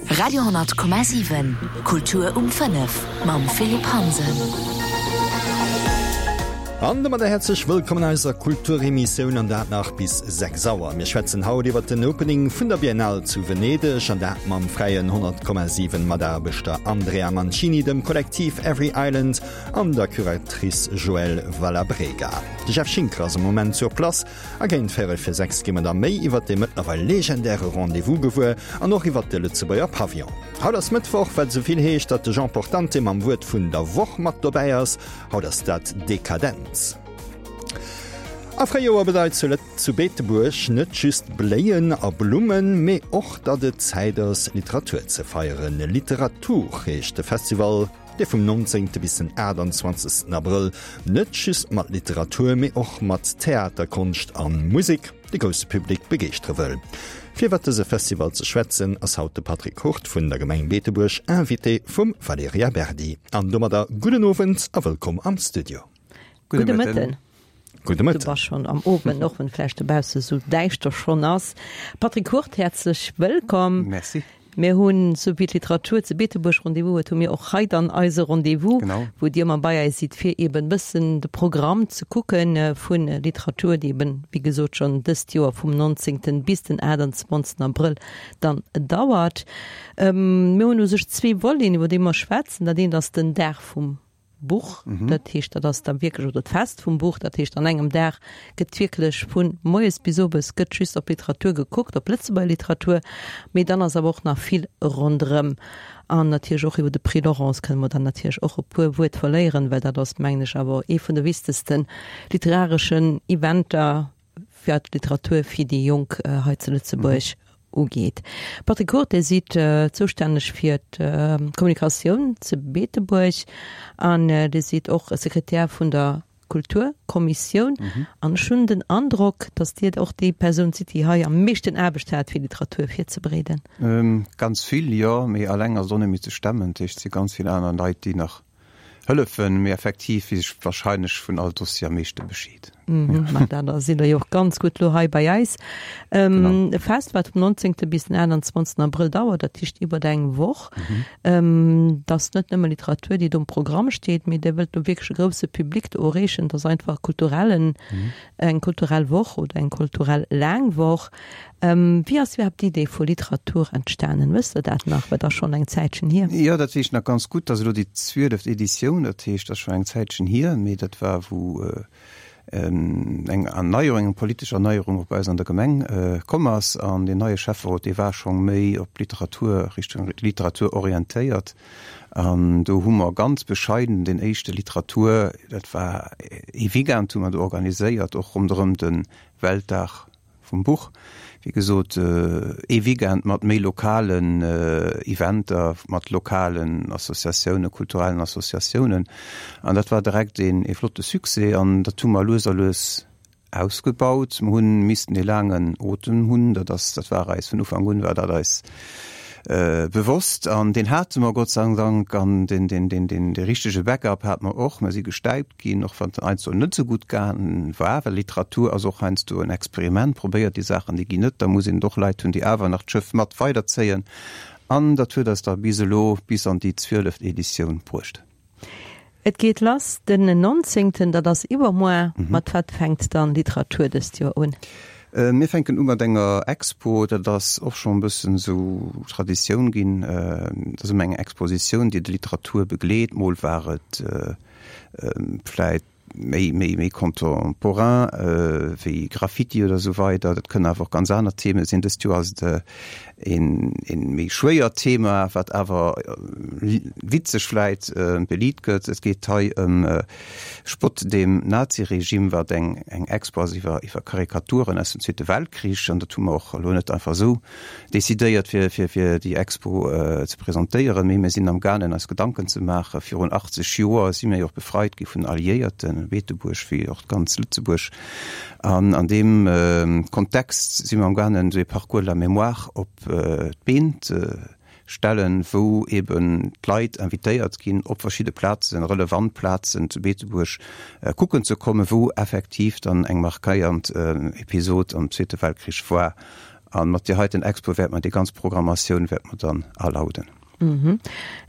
Radio 10,7 Kultur um 5 mam Philippe Hansen. An domadder häerzlech wëllkomm an eiser Kulturemissioun, an dat nach bis 6 Auer. Mir schwätzen haut iwwer den Opening vun der Biennale zu Venedeg, an dat mam fräien 100,7 Mataarbechter Andrea Mancini, dem Kollektiv Every Island an der Curatrice Joëlle Valabrega. De Jeff Schinker ass am Moment sur place A géint véierel fir 6 gi mer da méi iwwert dee mëttlerweil legendäre Rendez-vous gewuer an och iwwert de Lëtzebuerger Pavillon. Haut ass Mëttwoch, wat esou vill heescht, datt de Jean Portante mam Wuert vun der Woch mat dobäi ass. Haut ass dat Dekadenz. A Fréijoer bedeit zu zu Beetebuerg net just Bléien a Blummen, mee och, datt et Zäit ass, Literatur ze feieren. Literatur heescht de Festival. dee vum 19. bis den 28. Abrëll net just mat Literatur, mee och mat Theater, Konscht a Musek de grousse Public begeeschtere wëll. Fir iwwer dëse Festival ze schwätzen, ass haut de Patrick Hurt vun der Gemeng Beetebuerg Invité vum Valerija Berdi. An domadder gudden Owend a wëllkomm am Studio. Gudde Mëtten. Gudde Mëtten. Du bass schonn am Owend, och wann et vläicht dobausse sou däischter schonn ass. Patrick Hurt, häerzlech wëllkomm. Merci. Mir hunn, sou wéi d'Literatur zu Beetebuerg Rendez-vous huet, hu mir och hei dann eise Rendez-vous, wou Dir ëmmer bei eis sidd, fir eben e bëssen de Programm ze kucke vu Literatur, déi eben, wéi gesot, schonn dëst Joer vum 19. bis den 28. Abrëll dann dauert. Mir hunn u sech zwee Voleten, iwwer déi mer schwätzen. Dat eent ass den Dag vum Buch, dat heescht, dat ass da wierklech, oder d'Fest vum Buch, dat heescht an engem Dag gëtt wierklech vu moies bis owes gëtt just op Literatur gekuckt, op Lëtzebuerger Literatur, mee dann ass awer och nach vill ronderëm. An natierlech och iwwer de Prix Laurence kënne mer dann natierlech och e puer Wuert verléieren, well dat ass, mengen ech, awer ee vun de wichtegste literareschen Eventer, wat d'Literatur fir déi Jonk hei zu Lëtzebuerg ugeet. Patrick Hurt, Dir sidd zoustänneg fir d'Kommunikatioun zu Beetebuerg an Dir sidd och Sekretär vun der Kulturkommissioun. An ech hunn den Androck, datt Dir och déi Persoun sidd, déi hei am meeschten Aarbecht hat, fir Literatur virzebereeden. Ganz vill, jo, mee alleng ass et och net méi ze stemmen. Dat heescht, et si ganz vill aner Leit, déi nach Hëllefen, mee effektiv weess ech wahrscheinlech vun all Dossier am meeschte Bescheed. Ma dat da sidd Der jo och ganz gutt lo hei bei eis. E Fest, wat vum 19. bis den 28. Abrëll dauert, dat heescht iwwert eng Woch. Et ass net nëmme Literatur, déi do um Programm steet, mee Dir wëllt do wierklech e grousse Public do erreechen. Et ass einfach kulturellen, eng kulturell Woch oder eng kulturell laang Woch. Wéi ass iwwerhaapt d'Idee vu Literatur entstanen? Wësst Der dat nach? Well et ass schonn eng Zäitchen hier. Jo, dat weess ech nach ganz gutt. Dat ass elo déi zwieleft Editioun, dat heescht, dat ass schonn eng Zäitchen hier, mee dat war, wou eng Erneierung, eng politesch Erneierung och bei eis an der Gemeng komm ass. An deen neie Schäfferot, dee war scho méi op d'Literatur, Richtung Literatur orientéiert. An do hu mer ganz bescheiden den éischte Literatur, dat war ee Weekend, hu mer do organiséiert, och ronderëm de Weltdag vum Buch. Wéi gesot, ee Weekend mat méi lokalen Eventer, mat lokalen Associatiounen, kulturellen Associatiounen. An dat war direkt een ee flotte Succès an dat hu mer lues a lues ausgebaut. Mer hunn missten ee laangen Otem hunn, dat ass, dat war eis vun Ufank un war dat eis bewosst an deen hate mer Gott sei Dank an deen, deen, deen, deen, dee richtege Backup hate mer och. Mer si gestäipt ginn, och wann et heiansdo net esou gutt gaangen war, well Literatur ass och heiansdo en Experiment, probéiert déi Saachen, déi ginn net, da muss een och Leit hunn, déi awer nach d'Schëff mat weiderzéien an dat huet eis da bis elo, bis an déi zwieleft Editioun bruecht. Et geet lass den 19., dat ass iwwermuer. Mat wat fänkt dann Literatur dëst Joer un? Mir fänken u mat enger Expo, dat ass och schonn e bëssen esou Traditioun ginn, dat ass ëmmer eng Expositioun, déi d'Literatur begleet. Mol war et vläit méi, méi, méi contemporain, wéi Graffiti oder esou weider. Dat kënnen awer och ganz aner Themen sinn. Dëst Joer ass et een, een méi schwéiert Thema, wat awer witzeg vläit beliit gëtt. Et geet hei ëm Spott dem Naziregime, wat eng, eng Expo ass iwwer, iwwer Karikaturen aus dem Zweete Weltkrich. An dat hu mer och elo net einfach esou decidéiert fir fir fir déi Expo ze presentéieren, mee mir sinn am gaangen eis Gedanken ze maachen. Virun 80 Joer si mir jo och befreit gi vun den Alliéierten, Beetebuerg wéi och ganz Lëtzebuerg. An an deem Kontext si mir am gaangen esou ee Parcours de la mémoire op d'Been ze stellen, wou eben d'Leit invitéiert ginn op verschidde Plazen, relevant Plazen zu Beetebuerg kucken ze kommen, wou effektiv dann eng markéiernd Episod am Zweete Weltkrich war. A mat deer heiten Expo wäerte mer déi ganz Programmatioun wäerte mer dann alauden.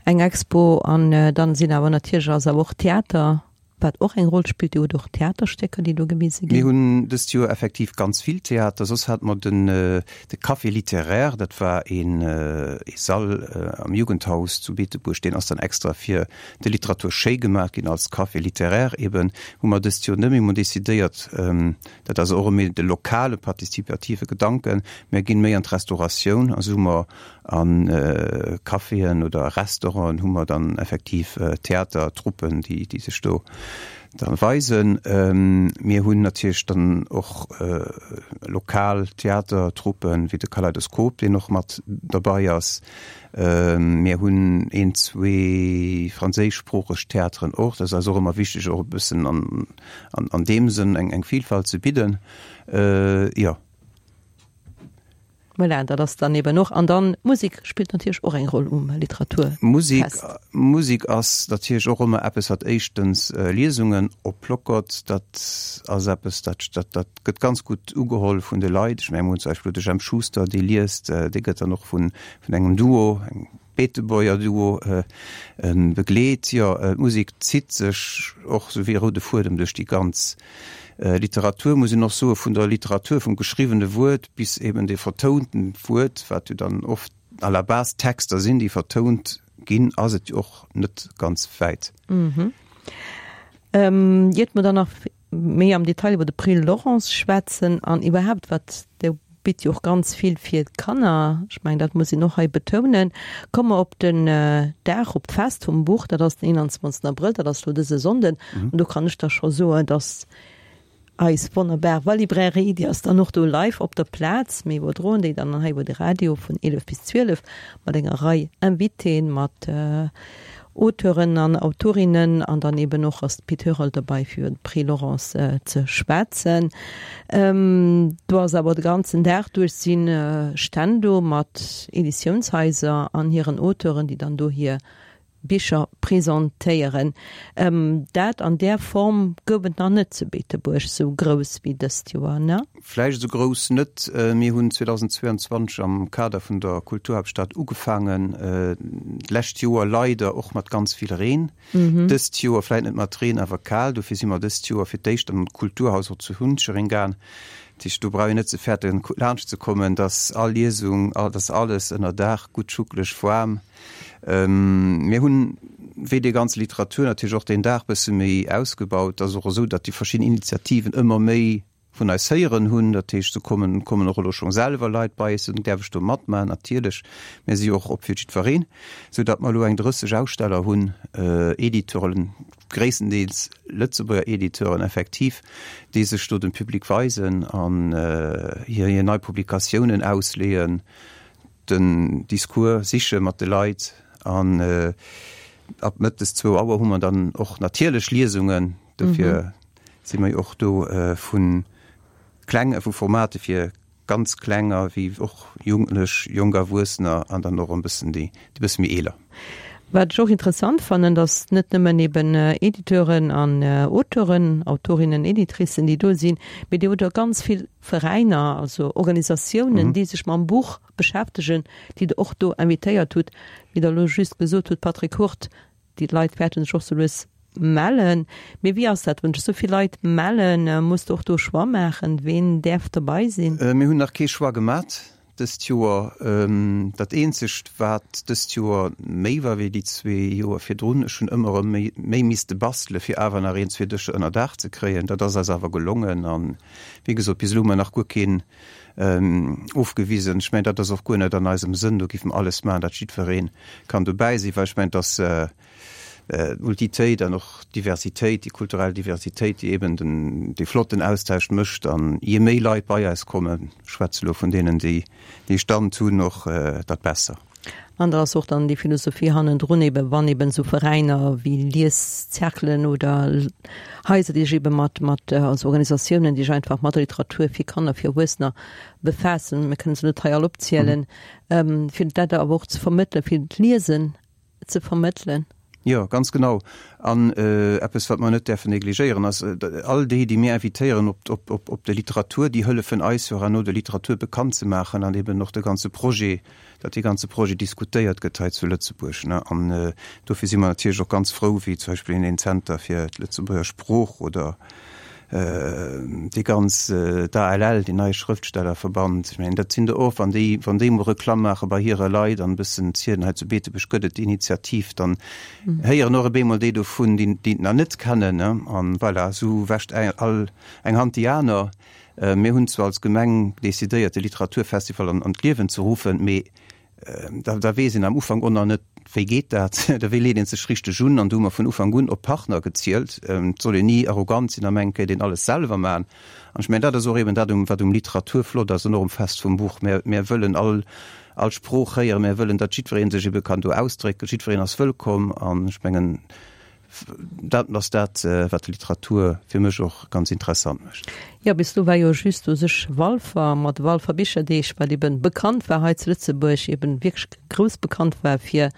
Eng Expo an dann sinn awer natierlech ass awer och Theater Wat och eng Roll spillt, Dir hutt och Theaterstécker, déi do gewise ginn. Mir hunn dëst Joer effektiv ganz vill Theater. Soss hate mer den de Café littéraire, dat war een ee Sall am Jugendhaus zu Beetebuerg, deen ass dann extra fir de Literatur schéi gemaach ginn als Café littéraire eben. Hu mer dëst Joer net méi. Mir hunn decidéiert, dat ass och méi de lokale partizipative Gedanken, mir ginn méi an d'Restauratioun a sou hu mer A Caféen oder Restauranten hu mer dann effektiv Theatertruppen, déi sech do da weisen. Mir hunn natierlech dann och lokal Theatertruppen, wéi de Kaleidoskop, deen och mat derbei ass. Mir hunn een, zwee franséischsproocheg Theateren och. Dat ass eis och ëmmer wichteg, och e bëssen an deem Sënn eng Vielfalt ze bidden. Jo. Voilà, dat ass dann eben och, an dann d'Musek spillt natierlech och eng Roll um Literaturfest. Musek, Musek ass natierlech och ëmmer eppes, wat éischtens Liesungen oplockert. Dat ass eppes, dat, dat, dat gëtt ganz gutt ugeholl vun de Leit. Ech mengen, mir hunn zum Beispill de Jemp Schuster, dee liest, dee gëtt dann och vun, vun engem Duo, engem Beetebuerger Duo, begleet. Jo, d'Musek zitt sech och sou wéi e roude Fuedem duerch déi ganz Literatur, muss een och soen, vun der Literatur, vum geschriwwene Wuert bis eben de vertounten Wuert, wat jo dann oft à la base Texter sinn, déi vertount ginn, ass et jo och net ganz wäit. Iert mer dann nach méi am Detail iwwer de Prix Laurence schwätzen an iwwerhaapt wat, Dir bitt jo och ganz vill fir d'Kanner, ech mengen dat muss een och hei betounen, komme mer op den Dag, op d'Fest vum Buch, dat ass den 21 Abrëll, dat ass elo dëse Sonnden an do kann ech da scho soen, dass eis wonnerbar Valibrairie, déi ass dann och do live op der Plaz, mir iwwerdroen déi dann hei iwwer de Radio vun 11 bis 12 mat enger Rei Invitéen, mat Auteuren an Autorinnen an dann eben och ass de Pit Herold derbei fir iwwer de Prix Laurence ze schwätzen. Do ass awer de ganzen Dag duerch si Stänn do mat Editiounshaiser an hiren Auteuren, déi dann do hir Bicher presentéieren. Dat an där Form gouf et nach net zu Beetebuerg, sou grouss wéi dëst Joer, ne? Vläicht esou grouss net. Mir hunn 2022 am Kader vun der Kulturhaaptstad ugefaangen, d'lescht Joer leider och mat ganz vill Reen. Dëst Joer vläicht net mat Reen, awer kal. Dofir si mer dëst Joer fir d'éischt an d'Kulturhaus och zu Hunchereng gaang. Dat heescht, do brauch een net ze fäerten, laanscht ze kommen, dass all Liesung, dass alles ënner Daach gutt schuckeleg waarm. Mir hunn, wéi déi ganz Literatur natierlech och deen Dag bësse méi ausgebaut. Et ass och esou, datt déi verschidden Initiativen ëmmer méi vun eis héieren hunn. Dat heescht, do kommen, kommen och elo scho selwer Leit bei eis, soen, däerf ech do matmaachen? Natierlech, mir si jo och op fir jiddwereen, sou datt mer elo eng 30 Aussteller hunn, Editeuren, gréisstendeels Lëtzebuerger Editeuren effektiv, déi sech do dem Public weisen an hir hir nei Publikatiounen ausleeën, den Discours siche mat de Leit. An ab mëttes zwou Auer hu mer dann och natierlech Liesungen, dofir si mer jo och do vu kleng, vu Formate fir ganz Klenger wéi och Jugendlech, jonk Erwuessener an dann och e bëssen déi e bësse méi eeler. Wat ech och interessant fannen, datt net nëmmen eben Editeuren an Auteuren, Autorinnen, Editricen, déi do sinn, mee Dir hutt och ganz vill Veräiner, also Organisatiounen, déi sech mam Buch beschäftegen, déi Der och do invitéiert hutt, wéi Der elo just gesot hutt, Patrick Hurt, Déi Leit wäerten sech och sou lues mellen. Mee wéi ass dat, wann sech sou vill Leit mellen? Muss de och do e Choix maachen, ween däerf dobei sinn? Mir hunn nach kee Choix gemat dëst Joer. Dat eenzegt, wat dëst Joer méi war wéi déi zwee Joer virdrun, ech hunn ëmmer erëm méi misste bastele fir awer nach een, zwee Dëscher ënner Daach ze kréien. Dat ass eis awer gelongen a wéi gesot, bis elo hu mer nach guer keen ofgewisen. Ech mengen, dat ass och guer net an eisem Sënn. Do géife mer alles maachen, datt jiddweree kann dobäi sinn, well ech mengen, datt d'Multitéit an och d'Diversitéit, déi kulturell Diversitéit, déi eben den, dee flotten Austausch mécht. An je méi Leit bei eis kommen, ech schwätze elo vun deenen, déi dee Stand hunn, och dat besser. An da ass och dann déi Philosophie hannendrun eben, wann eben esou Veräiner wéi Lieszerkelen oder Haiser, déi sech eben mat, mat, also Organisatiounen, déi sech einfach mat der Literatur fir Kanner, fir Erwuessener befaassen, mir kënnen se net hei all opzielen, fir dat awer och ze vermëttelen, fir d'Liesen ze vermëttelen. Jo, ganz genau. An eppes, wat mer net däerfen negligéieren, ass, all déi, déi mir invitéieren op, op, op, op de Literatur, déi hëllefen eis jo herno, de Literatur bekannt ze maachen an eben och de ganze Projet, datt dee ganze Projet diskutéiert gëtt hei zu Lëtzebuerg. An dofir si mer natierlech och ganz frou, wéi zum Beispill een Zenter fir d'Lëtzebuerger Sprooch oder dee ganz, d'ALL, deen neie Schrëftstellerverband, ech mengen, dat sinn der och, wann déi, wann déi emol Reklamm maache bei hire Leit an e bëssen zielen, hei zu Beetebuerg gëtt et déi Initiativ, dann héieren och op eemol déi dovun, déi, déi et nach net kennen, ne. An voilà, esou wäscht all eng Hand déi aner. Mir hunn zwar als Gemeng decidéiert, de Literaturfestival an d'Liewen ze ruffen, mee Da weess een am Ufank och nach net, wéi geet dat, oder wéi leet ee sech richteg un. An do hu mer vun Ufank un op Partner gezielt. Et soll een ni arrogant sinn a mengen, et kéint een alles selwer maachen. An ech mengen, dat ass och eben dat, wat um Literatur flott ass an och um Fest vum Buch. Mir, mir wëllen all, all Sprooch héieren. Mir wëllen, datt jiddweree sech ebe kann do ausdrécken. Jiddwereen ass wëllkomm. An ech mengen, Dat ass dat, wat d'Literatur fir mech och ganz interessant mécht. Jo, bis elo war jo just u sech Walfer mat de Walfer Bicherdeeg, wat eben bekannt war hei zu Lëtzebuerg, eben wierklech grouss bekannt war fir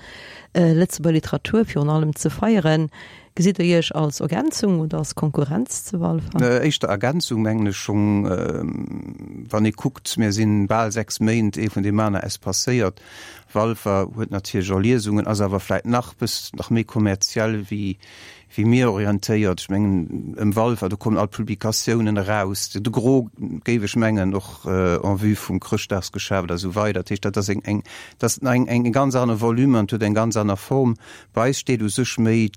Lëtzebuerger Literatur virun allem ze feieren. Gesitt Der Iech als Ergänzung oder als Konkurrenz zu Walfer? Éischter Ergänzung, mengen ech schonn. Wann ee kuckt, mir sinn bal 6 Méint ee vun deem aner espacéiert. Walfer huet natierlech och Liesungen, ass awer vläit nach bëss nach méi kommerziell wéi wéi mir orientéiert. Ech mengen ëm Walfer, do kommen all d'Publikatiounen eraus, de Gros géif ech mengen, och en vue vum Chrëschtdagsgeschäft a sou weider. Dat heescht, dat ass eng eng dat ass eng eng ganz aner Volume an et huet eng ganz aner Form. Bei eis steet u sech méi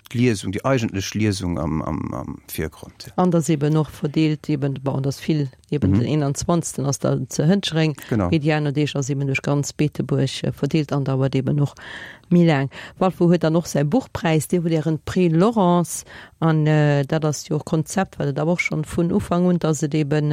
d'Liesung, déi eigentlech Liesung am, am, am Virgrond. An dass eben och verdeelt eben, bon, dass vill eben den 21. ass da zu Hënchereng, Genau. mee déi aner Deeg ass eben duerch ganz Beetebuerg verdeelt an dauert eben och méi laang. Walfer huet dann och säi Buchpräis, Dir hutt Ären Prix Laurence an dat ass jo och Konzept, wat et awer och schonn vun Ufank un, dass et eben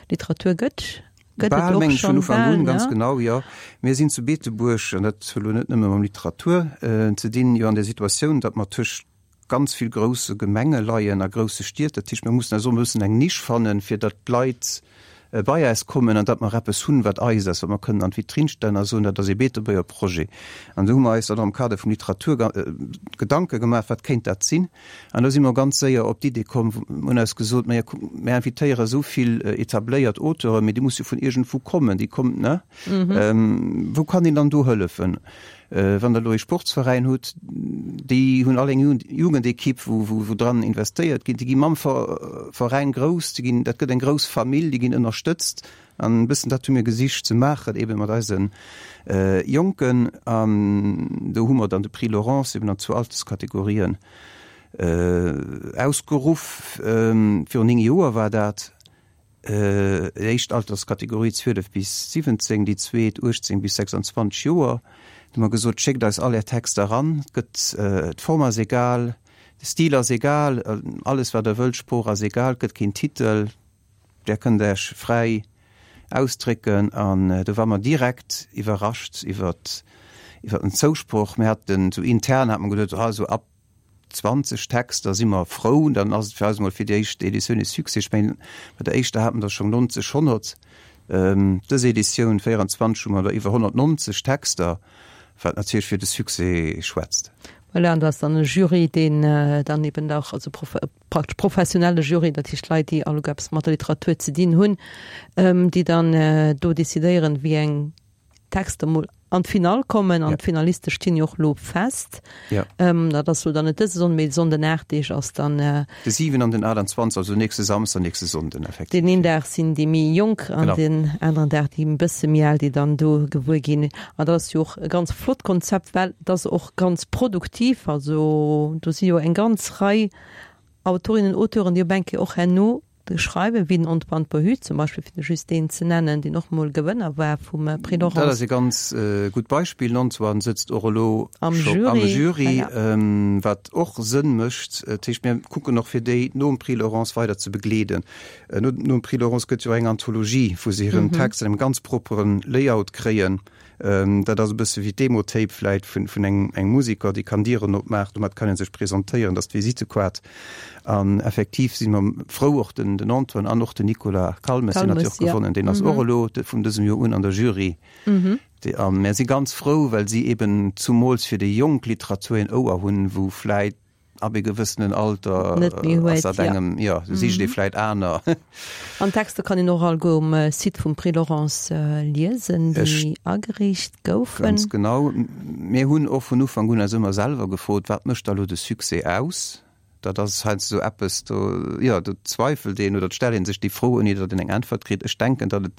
Literatur gëtt. Gëtt et och schonn bal, ne? Ganz genau, jo. Mir sinn zu Beetebuerg, an dat huet elo net nëmme mam Literatur ze dinn, jo an der Situatioun, datt mer tëscht ganz vill grousse Gemenge leien a grousse Stied. Dat heescht, mir mussen eis och e bëssen eng Nisch fannen, fir datt d'Leit bei äis kommen an datt mer eppes hunn, wat eis ass, wat mer kënnen an d'Vitrinn stellen a soen, dat ass ee Beetebuerger Projet. An do hu mer eis dann och am Kader vum Literatur Gedanke gemaach, wat kéint dat sinn? An do si mer ganz séier op d'Idee komm, mir hunn eis gesot, Maja kuck, mir invitéiere esou vill etabléiert Auteuren, mee déi musse jo vun iergendwou kommen, déi kommen, ne? Wou kann een dann do hëllefen? Wann Der elo ee Sportsveräin hutt, déi hunn all eng Jugendekipp, wou, wou dran investéiert ginn, déi gi mam Veräin grouss, déi ginn, dat gëtt eng grouss Famill, déi ginn ënnerstëtzt. An e bëssen dat hu mir gesicht ze maachen, eebe mat eise Jonken. An do hu mer dann de Prix Laurence eben an zwou Alterskategorien ausgeruff. Virun 9 Joer war dat. Déi éischt Alterskategorie 12 bis 17, déi zweet 18 bis 26 Joer. Do hu mer gesot, schéckt eis all är Texter eran, et gëtt, d'Form ass egal, de Stil ass egal, alles wat der wëllt, d'Sprooch ass egal, et gëtt keen Titel. Där kënnt Äech fräi ausdrécken an do war mer direkt iwwerrascht iwwert iwwert den Zousproch. Mir haten esou intern hat mer geduet, ah esou ab 20 Texter si mer frou, dann ass et fir eis emol fir déi éischt Editioun e Succès. Ech mengen bei der éischter hate mer der schonn 90, 100. Dës Editioun 24 hu mer der iwwer 190 Texter, wat natierlech fir de Succès schwätzt. Voilà, an do ass dann e Jury, deen dann eben och, also praktesch professionelle Jury, dat heescht Leit, déi alleguer eppes mat der Literatur ze dinn hunn, déi dann do decidéieren, wéi eng Texter mol an d'Finall kommen. An d'Finaliste stinn jo och elo fest. Dat ass elo dann net dëse Sonnden, mee de Sonnden 8 Deeg ass dann. De 7 an den 28, also nächste Samsden an nächste Sonnden effektiv. Deen een Dag sinn déi méi Jonk an deen aneren Dag déi e bësse méi al, déi dann do gewuer ginn. An dat ass jo och e ganz flott Konzept, well et ass och ganz produktiv. Also do si jo eng ganz Rei Autorinnen, Auteuren, déi op eng Kéier och herno schreiwen, wéi den Antoine Pohu zum Beispill, fir just deen ze nennen, deen och mol Gewënner war vum Prix Laurence. Dat ass e ganz gutt Beispill. Den Antoine sëtzt och elo am Jury, wat och Sënn mécht. Dat heescht, mir kucken och, fir déi nom Prix Laurence weider ze begleeden. Nom Prix Laurence gëtt jo eng Anthologie, wou se hiren Text an engem ganz proppere Layout kréien. Dat ass e bësse wéi d'Demo-Tape vläit vun engem engem Musiker, dee kann Dieren opmaachen, domat kann ee sech presentéieren, dat ass d'Visitekaart. An effektiv si mer frou, och den den Antoine an och den Nicolas Calmes, deen hat jo och gewonnen, deen ass och elo vun dësem Joer un an der Jury. A mär si ganz frou, well si eben zumools fir déi jonk Literatur een Ouer hunn, wou vläit Ab e gewëssenen Alter Net méi huet, ass dat engem, jo, ja, sicht ee vläit aner. An d'Texter kann een och alleguer um Site vum Prix Laurence liesen, déi agereecht goufen. Ganz genau. Mir hunn och vun Ufank un eis ëmmer selwer gefrot, Wat mécht da lo de Succès aus? Dat ass heiansdo esou eppes, do, jo, do zweifelt een oder et stellt ee sech déi Fro, ouni datt een eng Äntwert kritt. Ech denken, datt et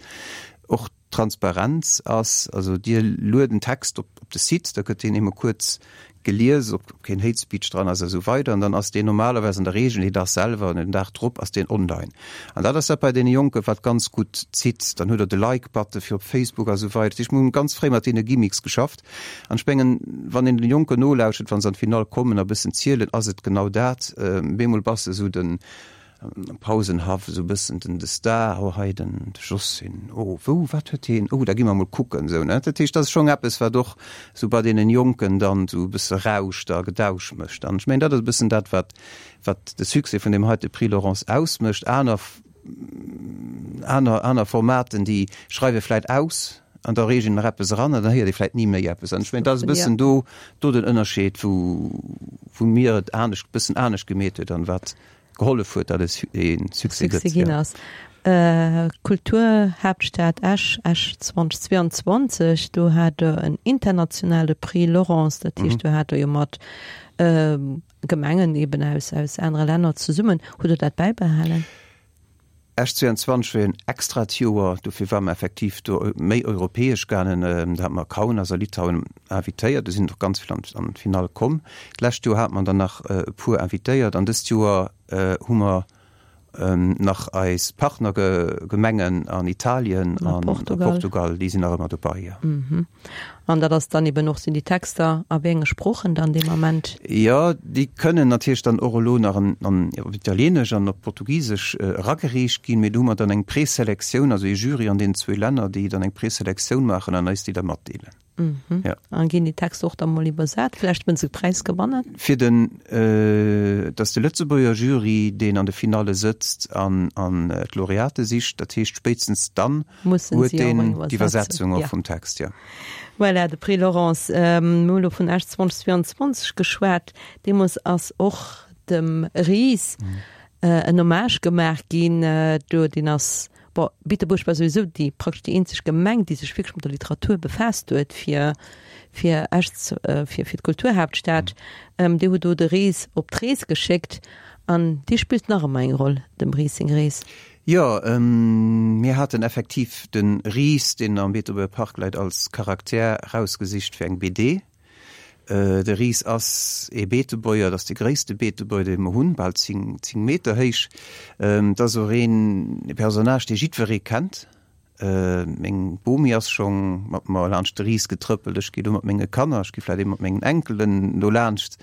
och Transparenz ass, also Dir luet en Text op op de Site, da gëtt deen eemol kuerz gelies, ob keen Hate Speech dran ass a sou weider, an dann ass deen normalerweis an der Regel deen Dag selwer an den Dag drop ass deen online. An dat ass dat bei deene Jonken, wat ganz gutt zitt. Dann hutt Der de Like-Button fir op Facebook a sou weider. Dat heescht, mir hunn ganz fréi mat deene Gimmicks geschafft. An ech mengen, wann een de Jonken nolauschert, wa se an d'Finall kommen a bëssen zielen, ass et genau dat. Bemol bass de esou den, Am Pausenhaff esou bëssen den de Star, oh hei den de Jossin, oh wou, wat huet heen, oh da gi mer mol kucken, esou ne. Dat heescht, dat ass schonn eppes wat och esou bei deenen Jonken dann esou e bësse rauscht a Gedausch mécht. An ech mengen, dat ass e bëssen dat wat wat de Succès vun deem heite Prix Laurence ausmécht. Aner aner aner Formaten déi schreiwe vläit aus an da reegen nach eppes eran an dann héiert ee vläit ni méi eppes. An ech mengen, dat ass e bëssen do do den Ënnerscheed wou wou mir et anescht bëssen anescht gemeet huet an wat gehollef huet, datt et ee Succès gëtt. Succès ginn ass. Kulturhaaptstad Esch, Esch 2022, do hat Der en internationale Prix Laurence, dat heescht, do hat Der jo mat Gemengen eben aus aus anere Länner zesummen. Hutt Der dat bäibehalen? Esch 22 war jo en extrat Joer, dofir ware mer effektiv do méi europäesch gaangen. Do hate mer Kaunas a Litauen invitéiert, do sinn och ganz vill an d'Finall komm. D'lescht Joer hate mer der nach e puer invitéiert an dëst Joer hu mer nach eis Partnergemengen an Italien an a Portugal, déi sinn nach ëmmer dobei, jo. An dat ass dann eben och, sinn déi Texter a wéi enge Sproochen dann dee Moment? Jo, déi kënnen natierlech dann och elo nach an op Italieenesch an op Portugisesch eragereecht ginn, mee do hu mer dann eng Preselektioun, also ee Jury an deenen zwou Länner, déi dann eng Preselektioun maachen an eis déi da matdeelen. Jo. An ginn déi Texter och da mol iwwersat, vläicht wënn se Präis gewannen? Fir den, et ass de Lëtzebuerger Jury, deen an de Finalle sëtzt an d'Laureate sicht, dat heescht spéitstens dann, Mussen huet si och deen eng d'Iwwersetzung Iwwersetzung, och ja. vum Text, jo. Voilà, de Prix Laurence. Mir hu lo vun Esch 2022 geschwat. Deemools ass och dem Ris en Hommage gemaach ginn. Do, deen ass, bon, Beetebuerg war souwisou déi praktesch déi eenzeg Gemeng, déi sech wierklech mat der Literatur befaasst huet, fir, fir Esch, fir, fir d'Kulturhaaptstad. Dir hutt do de Ris op d'Rees geschéckt an dee spillt nach ëmmer eng Roll, dem Ris seng Rees. Jo, mir haten effektiv de Ris, deen am Beetebuerger Park läit, als Charakter rausgesicht fir eng BD. De Ris ass ee Beetebuerger, et ass de gréisste Beetebuerger, dee mer hunn, bal 10 Meter héich. Et ass och een Personnage, dee jiddweree kennt. Meng Bomi ass scho mat mer laanscht de Ris getrëppelt, ech gi lo mat menge Kanner, ech gi vläicht ee mat mengen Enkelen do laanscht.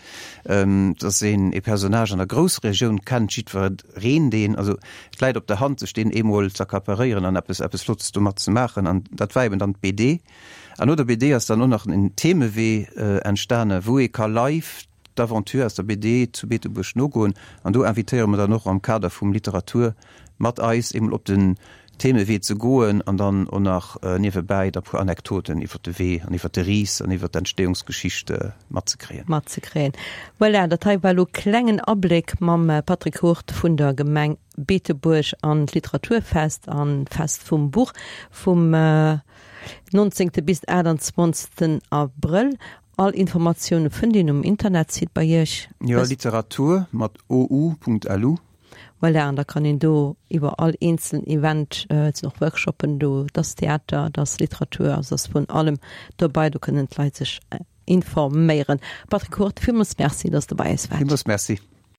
Et ass een ee Personnage an der Groussregioun, kennt jiddwereen deen. Also et läit op der Hand, sech deen eemol z'accaparéieren an eppes eppes Flottes domat ze maachen. An dat war eben dann d'BD. An no der BD ass dann och nach en Themewee entstane wou ee ka live d'Aventure aus der BD zu Beetebuerg nogoen. An do invitéiere mer dann och am Kader vum Literatur mat eis eemol op den Themewee ze goen an dann och nach niewebäi da puer Anektoten iwwer de Wee an iwwer de Ris an iwwer d'Entstehungsgeschicht matzekréien. Matzekréien. Voilà, dat hei war elo klengen Abléck mam Patrick Hurt vun der Gemeng Beetebuerg an d'Literaturfest an d'Fest vum Buch vum 19. bis 28. Abrëll. All Informatioune fënnt een um Internetsite bei Iech. Jo, Literatur mat ou.lu. Voilà, an da kann een do iwwer all eenzelen Event, et sinn och Workshoppen do, et ass Theater, et ass Literatur, also et ass vun allem dobei, do kënnen d'Leit sech informéieren. Patrick Hurt, villmools Merci, dass de bei eis waart. Villmools Merci.